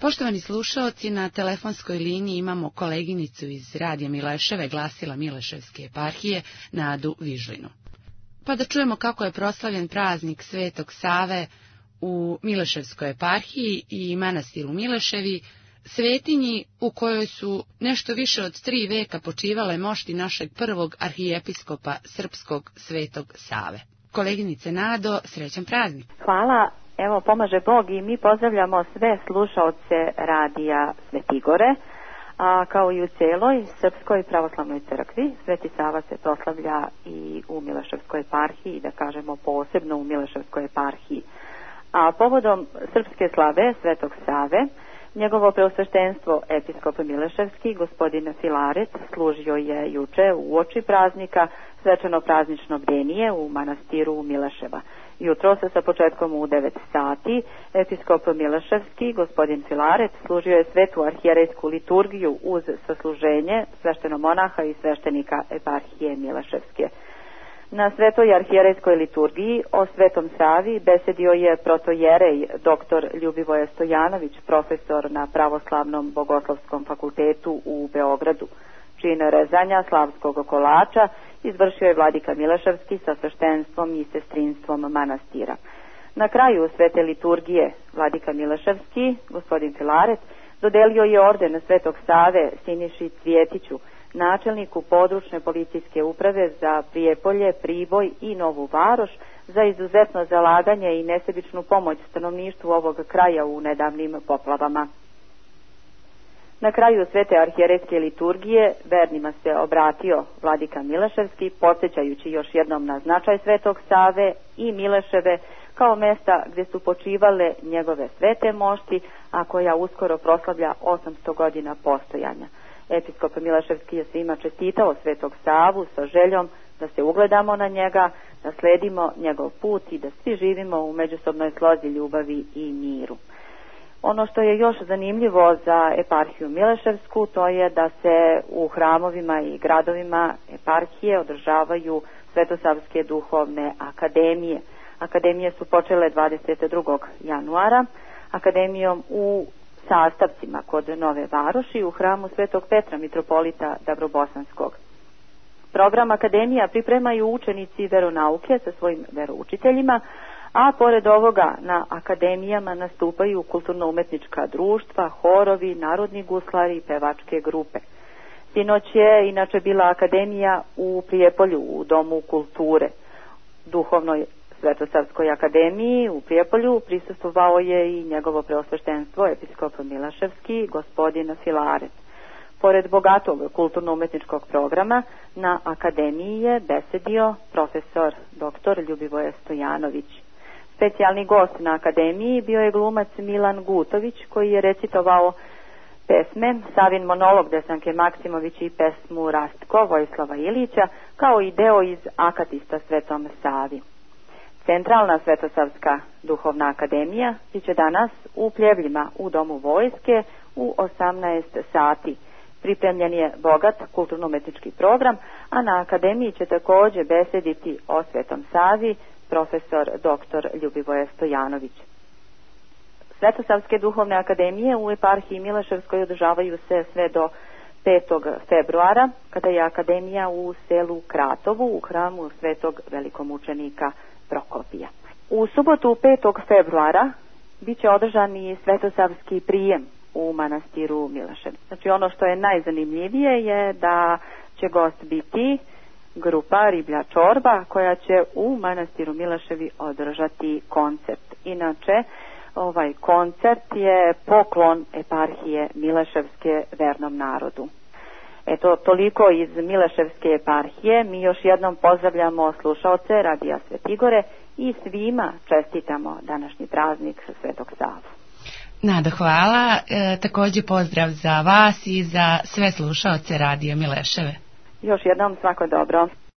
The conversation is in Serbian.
Poštovani slušaoci, na telefonskoj liniji imamo koleginicu iz Radija Mileševe, glasila Mileševske eparhije, Nadu Vižlinu. Pa da čujemo kako je proslavljen praznik Svetog Save u Mileševskoj eparhiji i manastiru Mileševi, svetinji u kojoj su nešto više od 3 veka počivale mošti našeg prvog arhijepiskopa srpskog Svetog Save. Koleginice Nado, srećan praznik. Hvala. Evo, pomaže Bog i mi pozdravljamo sve slušaoce Radija Svetigore, a kao i u cijeloj Srpskoj pravoslavnoj crkvi. Sveti Sava se proslavlja i u Mileševskoj eparhiji, da kažemo posebno u Mileševskoj eparhiji. A povodom srpske slave Svetog Save, njegovo preosveštenstvo episkop Mileševski, gospodin Filaret, služio je juče u oči praznika svečano praznično bdenije u manastiru Mileševa. Jutro se sa početkom u 9 sati episkop Mileševski, gospodin Filaret, služio je svetu arhijerejsku liturgiju uz sasluženje sveštenomonaha i sveštenika eparhije Mileševske. Na svetoj arhijerejskoj liturgiji o Svetom Savi besedio je protojerej dr. Ljubivoje Stojanović, profesor na Pravoslavnom bogoslovskom fakultetu u Beogradu. Čin rezanja slavskog kolača izvršio je vladika Mileševski sa sveštenstvom i sestrinstvom manastira. Na kraju svete liturgije vladika Mileševski, gospodin Filaret, dodelio je orden Svetog Save Siniši Cvjetiću, načelniku područne policijske uprave za Prijepolje, Priboj i Novu Varoš, za izuzetno zalaganje i nesebičnu pomoć stanovništvu ovog kraja u nedavnim poplavama. Na kraju svete arhijerejske liturgije vernima se obratio vladika Mileševski, podsjećajući još jednom na značaj Svetog Save i Mileševe kao mesta gdje su počivale njegove svete mošti, a koja uskoro proslavlja 800 godina postojanja. Episkop Mileševski je svima čestitao Svetog Savu sa željom da se ugledamo na njega, da sledimo njegov put i da svi živimo u međusobnoj slozi, ljubavi i miru. Ono što je još zanimljivo za eparhiju Mileševsku, to je da se u hramovima i gradovima eparhije održavaju Svetosavske duhovne akademije. Akademije su počele 22. januara, akademijom u Sastavcima kod Nove Varoši u hramu Svetog Petra, mitropolita Dabrobosanskog. Program akademija pripremaju učenici veronauke sa svojim veroučiteljima, a pored ovoga na akademijama nastupaju kulturno-umetnička društva, horovi, narodni guslari i pevačke grupe. Sinoć je inače bila akademija u Prijepolju u Domu kulture. Duhovnoj Svetosavskoj akademiji u Prijepolju prisustvovao je i njegovo preosveštenstvo episkop Mileševski, gospodin Filaret. Pored bogatog kulturno-umetničkog programa, na akademiji je besedio profesor dr. Ljubivoje Stojanović. Specijalni gost na akademiji bio je glumac Milan Gutović, koji je recitovao pesme Savin monolog Desanke Maksimović i pesmu Rastko Vojislava Ilića, kao i deo iz Akatista Svetom Savi. Centralna Svetosavska duhovna akademija biće danas u Pljevljima u Domu vojske u 18 sati. Pripremljen je bogat kulturno-umetnički program, a na akademiji će također besediti o Svetom Savi profesor dr. Ljubivoje Stojanović. Svetosavske duhovne akademije u eparhiji Mileševskoj održavaju se sve do 5. februara, kada je akademija u selu Kratovu u hramu Svetog velikomučenika Prokopija. U subotu 5. februara biće održan i svetosavski prijem u manastiru Milešev. Znači, ono što je najzanimljivije je da će gost biti grupa Riblja čorba koja će u manastiru Mileševi održati koncert. Inače, ovaj koncert je poklon eparhije Mileševske vernom narodu. Eto, toliko iz Mileševske eparhije. Mi još jednom pozdravljamo slušaoce Radija Svetigore i svima čestitamo današnji praznik Svetog Savu. Nada, hvala. Također pozdrav za vas i za sve slušaoce Radija Mileševe. Još jednom svako dobro.